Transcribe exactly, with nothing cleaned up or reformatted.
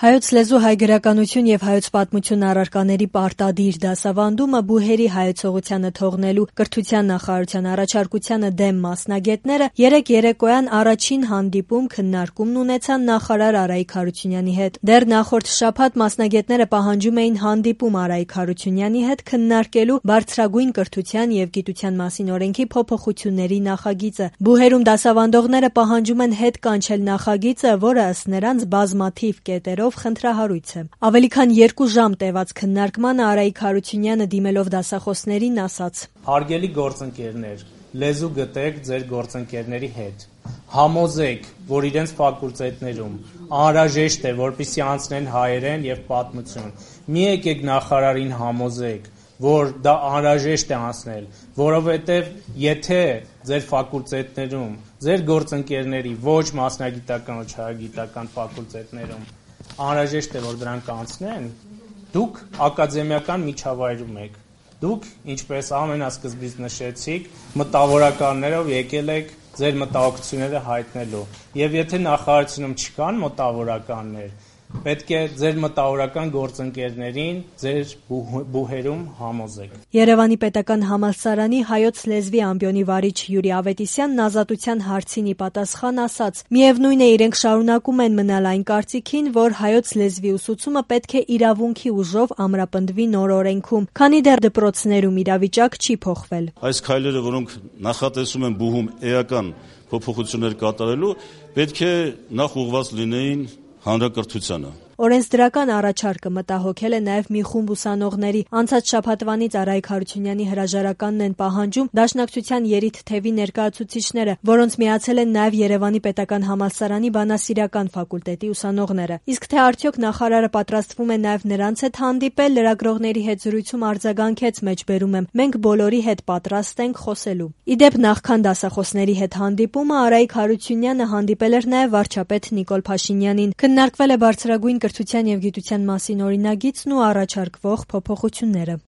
Հայոց լեզու, հայ գրականություն եւ հայոց պատմություն առարկաների պարտադիր դասավանդումը բուհերի հայեցողությանը թողնելու կրթության նախարարության առաջարկությանը դեմ մասնագետները երեկ երեկոյան առաջին հանդիպում քննարկումն ունեցան նախարար Արայիկ Հարությունյանի հետ։ Դեռ նախորդ շաբաթ մասնագետները պահանջում էին հանդիպում Արայիկ Հարությունյանի հետ քննարկելու բարձրագույն կրթության եւ գիտության մասին օրենքի փոփոխությունների նախագիծը։ Բուհերում դասավանդողները պահանջում են հետ կանչել նախագիծը, որը ըստ նրանց բազմաթիվ կետերով խնդրահարույց է։ Ավելի քան երկու ժամ տևած քննարկմանը Արայիկ Հարությունյանը դիմելով դասախոսներին ասաց. Հարգելի գործընկերներ, լեզու գտեք ձեր գործընկերների հետ։ Համոզեք, որ իրենց ֆակուլտետներում անհրաժեշտ է, որպեսզի անցնեն հայերեն եւ պատմություն։ Մի եկեք նախարարին համոզեք, որ դա անհրաժեշտ է անցնել, որովհետեւ եթե ձեր ֆակուլտետներում, ձեր գործընկերների ոչ մասնագիտական, ոչ հայագիտական ֆակուլտետներում անհրաժեշտ է, որ դրանք անցնեն, դուք ակադեմիական միջավայրում եք, դուք, ինչպես ամենասկզբից նշեցիք, մտավորականներով եկել եք ձեր մտահոգությունները հայտնելու, եւ եթե նախարարությունում չկան մտավորականներ, պետք է ձեր մտավորական գործընկերներին ձեր բուհերում համոզեք։ Երևանի պետական համալսարանի հայոց լեզվի ամբիոնի վարիչ Յուրի Ավետիսյանն ազատության հարցին ի պատասխան ասաց. Միևնույն է, իրենք շարունակում են մնալ այն կարծիքին, որ հայոց լեզվի ուսուցումը պետք է իրավունքի ուժով ամրապնդվի նոր օրենքում, քանի դեռ դպրոցներում իրավիճակ չի փոխվել։ Այս քայլերը, որոնք նախատեսում են բուհում էական փոփոխություններ կատարելու, պետք է նախ ուղղված լինեին հանրակրթությանը։ Օրենսդրական առաջարկը մտահոգել է նաև մի խումբ ուսանողների։ Անցած շաբաթվանից Արայիկ Հարությունյանի հրաժարականն են պահանջում դաշնակցության երիթ թևի ներկայացուցիչները, որոնց միացել են նաև Երևանի պետական համալսարանի բանասիրական ֆակուլտետի ուսանողները։ Իսկ թե արդյոք նախարարը պատրաստվում է նաև նրանց հետ հանդիպել, լրագրողների հետ զրույցում արձագանքեց մեջբերում եմ. մենք բոլորի հետ պատրաստ ենք խոսելու։ Իդեպ նախքան դասախոսների հետ հանդիպումը Արայիկ Հարությունյանը հանդիպել էր նաև վարչապետ Նիկոլ Փաշինյանին։ Քննարկվել է բարձրագույն կրթության եւ գիտության մասին օրինագիծն ու առաջարկվող փոփոխությունները։